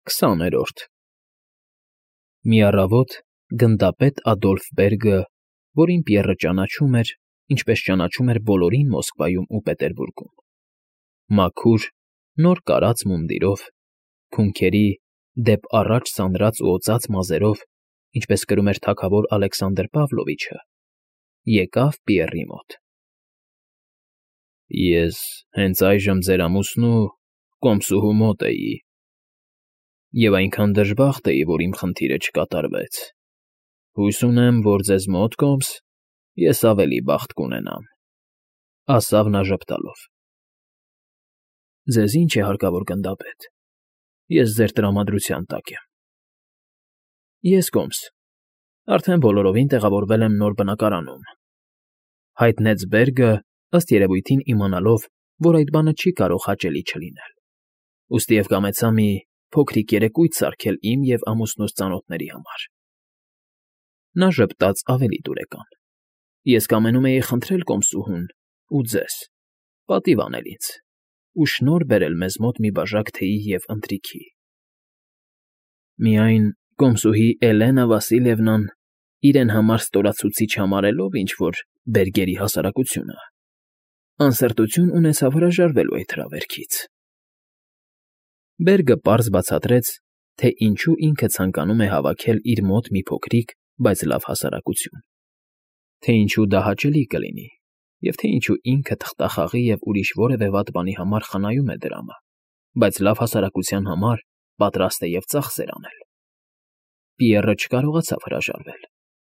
20-րդ Մի առավոտ գնդապետ Ադոլֆ Բերգը, որին Պիեռը ճանաչում էր, ինչպես ճանաչում էր բոլորին Մոսկվայում ու Պետերբուրգում, մաքուր, նոր կարած մունդիրով, քունքերի, դեպ առաջ սանրած ու օծած մազերով, ինչպես կրում էր թագավոր Ալեքսանդր Պավլովիչը, եկավ Պիեռի մոտ։ Ես հենց այժմ ձեր ամուսնու կոմսուհու մոտ էի, և այնքան դժբախտ էի, որ իմ խնդիրը չկատարվեց։ Հույս ունեմ, որ ձեզ մոտ, կոմս, ես ավելի բախտ կունենամ, ասավ նա ժպտալով։ Ձեզ ինչ է հարկավոր, գնդապետ, ես ձեր տրամադրության տակ եմ։ Ես, կոմս, արդեն բոլորովին տեղավորվել եմ նոր բնակարանում, հայտնեց Բերգը, ըստ երևույթին իմանալով, որ այդ բանը չի կարող հաճելի չլինել, ուստի և կամեցա մի փոքրիկ երեկույթ սարքել իմ և ամուսնուս ծանոթների համար։ Նա ժպտաց ավելի դուրեկան. Ես կամենում էի խնդրել կոմսուհուն ու ձեզ, պատիվ անել ինձ ու շնորհ բերել մեզ մոտ մի բաժակ թեյի և ընթրիքի։ Միայն կոմսուհի Էլենա Վասիլևնան իրեն համար ստորացուցիչ համարելով ինչ֊որ Բերգերի հասարակությունը, անսրտություն ունեցավ հրաժարվելու այդ հրավերքից։ Բերգը պարզ բացատրեց, թե ինչու ինքը ցանկանում է հավաքել իր մոտ մի փոքրիկ, բայց լավ հասարակություն, թե ինչու դա հաճելի կլինի, և թե ինչու ինքը թղթախաղի և ուրիշ որևէ վատ բանի համար խնայում է դրամը, բայց լավ հասարակության համար պատրաստ է և ծախսեր անել։ Պիեռը չկարողացավ հրաժարվել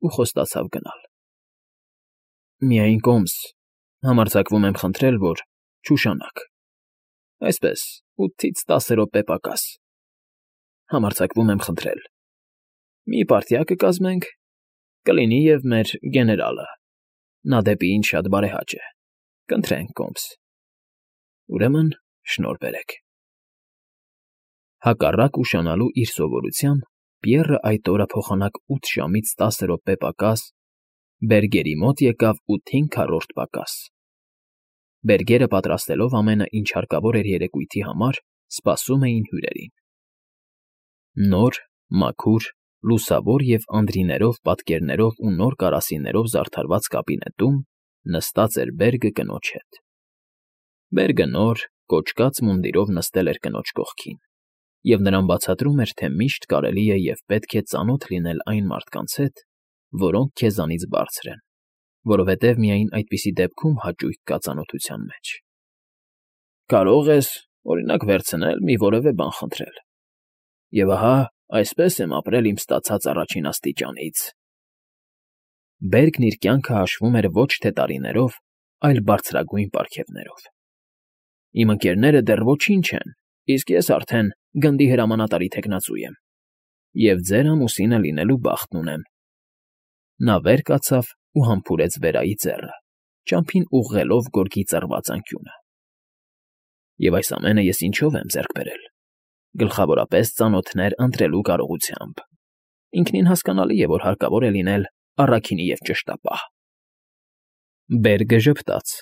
ու խոստացավ գնալ։ Միայն, կոմս, համարձակվում եմ խնդրել, որ չուշանաք, այսպես 8-ից 10 րոպե պակաս, համարձակվում եմ խնդրել, մի պարտիա կկազմենք, կլինի և մեր գեներալը, նա դեպի ինձ շատ բարեհաճ է, կընտրենք, կոմս, ուրեմն շնորհ բերեք։ Հակառակ ուշանալու իր սովորության, Պիեռը այդ օրը փոխանակ 8 ժամից 10 րոպե պակաս Բերգերի մոտ եկավ 8/5 պակաս։ Բերգերը պատրաստելով ամենը, ինչ հարկավոր էր երեկույթի համար, սպասում էին հյուրերին։ Նոր, մաքուր, լուսավոր և անդրիներով, պատկերներով ու նոր կարասիներով զարդարված կաբինետում նստած էր Բերգը կնոջ հետ։ Բերգը նոր, կոճկած մունդիրով նստել էր կնոջ կողքին, և նրան բացատրում էր, թե միշտ կարելի է և պետք է ծանոթ լինել այն մարդկանց հետ, որոնք քեզանից բարձր են, որովհետև միայն այդպիսի դեպքում հաճույք կա ծանոթության մեջ։ Կարող ես, օրինակ, վերցնել մի որևէ բան խնդրել, և ահա այսպես եմ ապրել իմ ստացած առաջին աստիճանից։ Բերգն իր կյանքը հաշվում էր ոչ թե տարիներով, այլ բարձրագույն պարգևներով։ Իմ ընկերները դեռ ոչինչ են, իսկ ես արդեն գնդի հրամանատարի թեկնածու եմ, և ձեր ամուսինը լինելու բախտն ունեմ։ Նա վեր կացավ ու համբուրեց վերայի ձեռը, ճամփին ուղղելով գորգի ծռված անկյունը։ Եվ այս ամենը ես ինչո՞վ եմ ձեռք բերել։ Գլխավորապես ծանոթներ ընտրելու կարողությամբ։ Ինքնին հասկանալի է, որ հարկավոր է լինել առաքինի և ճշտապահ։ Բերգը ժպտաց,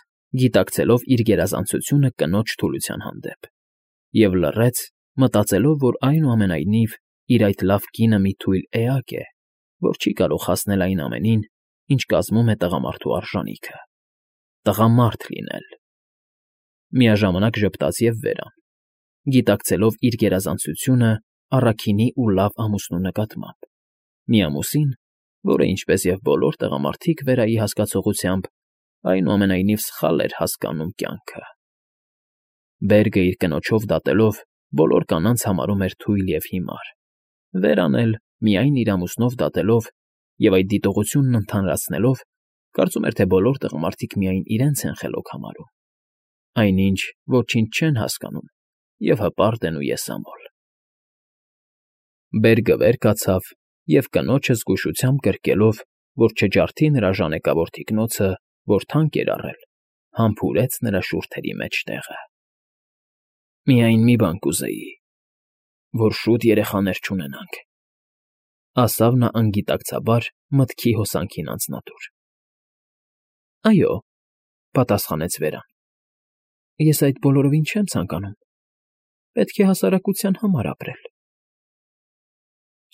գիտակցելով իր գերազանցությունը կնոջ թուլության հանդեպ, և լռեց, մտածելով, որ այնուամենայնիվ իր այդ լավ կինը մի թույլ էակ է, որ չի կարող հասնել այն ամենին, ինչ կազմում է տղամարդու արժանիքը՝ տղամարդ լինել։ Միաժամանակ ժպտաց և վերան, գիտակցելով իր գերազանցությունը առաքինի ու լավ ամուսնու նկատմամբ, մի ամուսին, որը, ինչպես և բոլոր տղամարդիկ վերայի հասկացողությամբ, այնուամենայնիվ սխալ էր հասկանում կյանքը։ Բերգը իր կնոջով դատելով բոլոր կանանց համարում էր թույլ և հիմար, վերան էլ միայն իր ամուսնով դատելով և այդ դիտողությունն ընդհանրացնելով, կարծում էր, թե բոլոր տղամարդիկ միայն իրենց են խելոք համարում, այնինչ ոչինչ չեն հասկանում և հպարտ են ու եսամոլ։ Բերգը վեր կացավ և կնոջը զգուշությամբ գրկելով, որ չջարդի նրա ժանեկավոր թիկնոցը, որ թանկ էր առել, համբուրեց նրա շուրթերի մեջտեղը։ Միայն մի բան կուզեի, որ շուտ երեխաներ չունենանք, ասավ նա անգիտակցաբար մտքի հոսանքին անձնատուր։ Այո, պատասխանեց Վերան, ես այդ բոլորովին չեմ ցանկանում, պետք է հասարակության համար ապրել,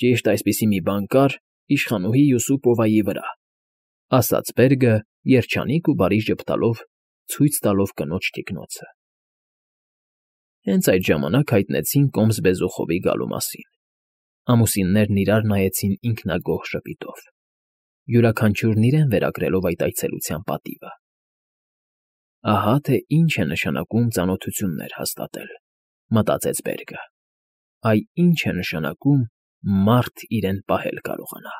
Ճիշտ այսպիսի մի բան կար իշխանուհի Յուսուպովայի վրա, ասաց Բերգը, երջանիկ ու բարի ժպտալով ցույց տալով կնոջ թիկնոցը։ Հենց այդ ժամանակ հայտնեցին Կոմս Բեզուխովի գալու մասին։ Ամուսիններն իրար նայեցին ինքնագոհ ժպիտով, յուրաքանչյուրն իրեն վերագրելով այդ այցելության պատիվը։ Ահա թե ինչ է նշանակում ծանոթություններ հաստատել, մտածեց Բերգը։ Այ ինչ է նշանակում մարդ իրեն պահել կարողանա։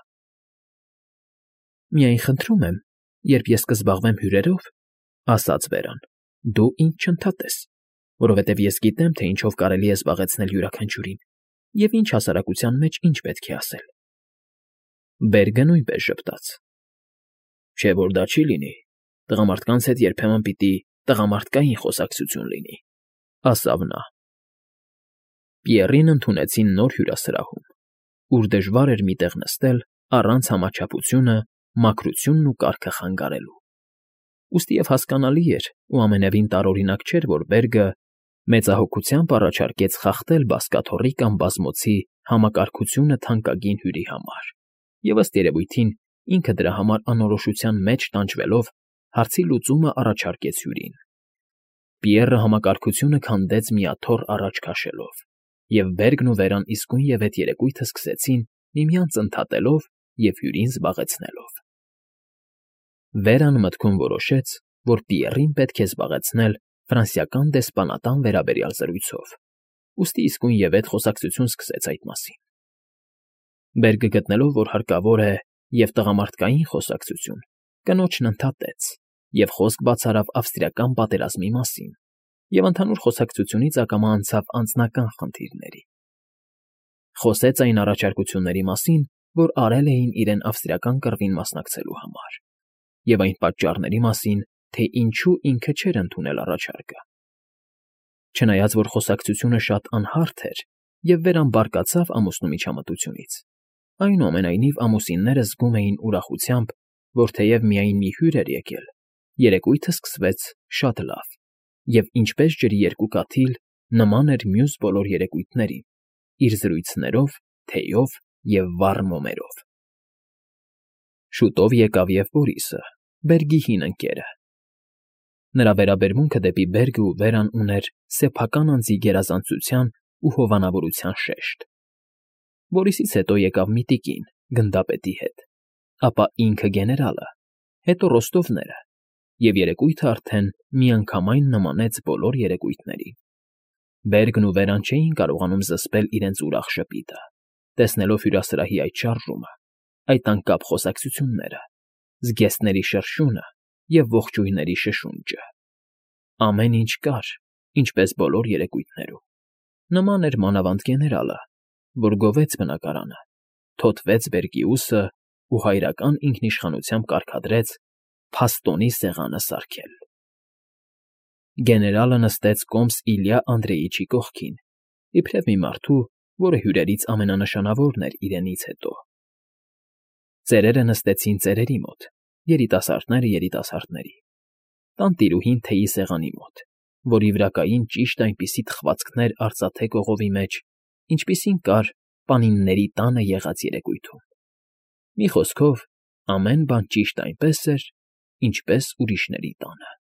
Միայն խնդրում եմ, երբ ես կզբաղվեմ հյուրերով, ասաց Վերան, դու ինձ չընդհատես, որովհետև ես գիտեմ, թե ինչով կարելի է զբաղեցնել յուրաքանչյուրին և ինչ հասարակության մեջ ինչ պետք է ասել։ Բերգը նույնպես ժպտաց։ Չէ՞ որ դա չի լինի, տղամարդկանց հետ երբեմն պիտի տղամարդկային խոսակցություն լինի, ասավ նա։ Պիեռին ընդունեցին նոր հյուրասրահում, ուր դժվար էր մի տեղ նստել առանց համաչափությունը, մաքրությունն ու կարգը խանգարելու։ Ուստի և հասկանալի էր ու ամենևին տարօրինակ չէր, որ Բերգը մեծահոգությամբ առաջարկեց խախտել բազկաթոռի կամ բազմոցի համակարգությունը թանկագին հյուրի համար, և ըստ երևույթին ինքը դրա համար անորոշության մեջ տանջվելով հարցի լուծումը առաջարկեց հյուրին։ Պիեռը համակարգությունը քանդեց մի աթոռ առաջ քաշելով, և Բերգն ու Վերան իսկույն այդ երեկույթը սկսեցին միմյանց ընդհատելով և հյուրին զբաղեցնելով։ Վերան մտքում որոշեց, որ Պիեռին պետք է զբաղեցնել ֆրանսիական դեսպանատան վերաբերյալ զրույցով, ուստի իսկույն այդ խոսակցություն սկսեց այդ մասին։ Բերգը գտնելով, որ հարկավոր է և տղամարդկային խոսակցություն, կնոջն ընդհատեց և խոսք բացարավ ավստրիական պատերազմի մասին և ընդհանուր խոսակցությունից ակամա անցավ անձնական խնդիրների։ Խոսեց այն առաջարկությունների մասին, որ արել էին իրեն ավստրիական կռվին մասնակցելու համար, և այն պատճառների մասին, թե ինչու ինքը չէր ընդունել առաջարկը։ Չնայած որ խոսակցությունը շատ անհարթ էր և Վերան բարկացավ ամուսնու միջամտությունից, այնուամենայնիվ ամուսինները զգում էին ուրախությամբ, որ թեև միայն մի հյուր էր եկել, երեկույթը սկսվեց շատ լավ և ինչպես ջրի երկու կաթիլ նման էր մյուս բոլոր երեկույթներին՝ իր զրույցներով, թեյով և վառ մոմերով։ Շուտով եկավ և Բորիսը, Բերգի հին ընկերը։ Նրա վերաբերմունքը դեպի Բերգն ու Վերան ուներ սեփական անձի գերազանցության ու հովանավորության շեշտ։ Բորիսից հետո եկավ մի տիկին գնդապետի հետ, ապա ինքը գեներալը, հետո Ռոստովները, և երեկույթը արդեն միանգամայն նմանեց բոլոր երեկույթներին։ Բերգն ու Վերան չէին կարողանում զսպել իրենց ուրախ ժպիտը, տեսնելով հյուրասրահի այդ շարժումը, այդ անկապ խոսակցությունները, զգեստների շրշյունը և ողջույնների շշունջը։ Ամեն ինչ կար, ինչպես բոլոր երեկույթներում։ Նման էր մանավանդ գեներալը, որ գովեց բնակարանը, թոթվեց Բերգի ուսը ու հայրական ինքնիշխանությամբ կարգադրեց փաստոնի սեղանը սարքել։ Գեներալը նստեց կոմս Իլյա Անդրեիչի կողքին, իբրև մի մարդու, որը հյուրերից ամենանշանավորն էր իրենից հետո։ Ծերերը նստեցին ծերերի մոտ, երիտասարդները երիտասարդների, տանտիրուհին թեյի սեղանի մոտ, որի վրա կային ճիշտ այնպիսի թխվածքներ արծաթե կողովի մեջ, ինչպիսին կար պանինների տանը եղած երեկույթում։ Մի խոսքով, ամեն բան ճիշտ այնպես էր, ինչպես ուրիշների տանը։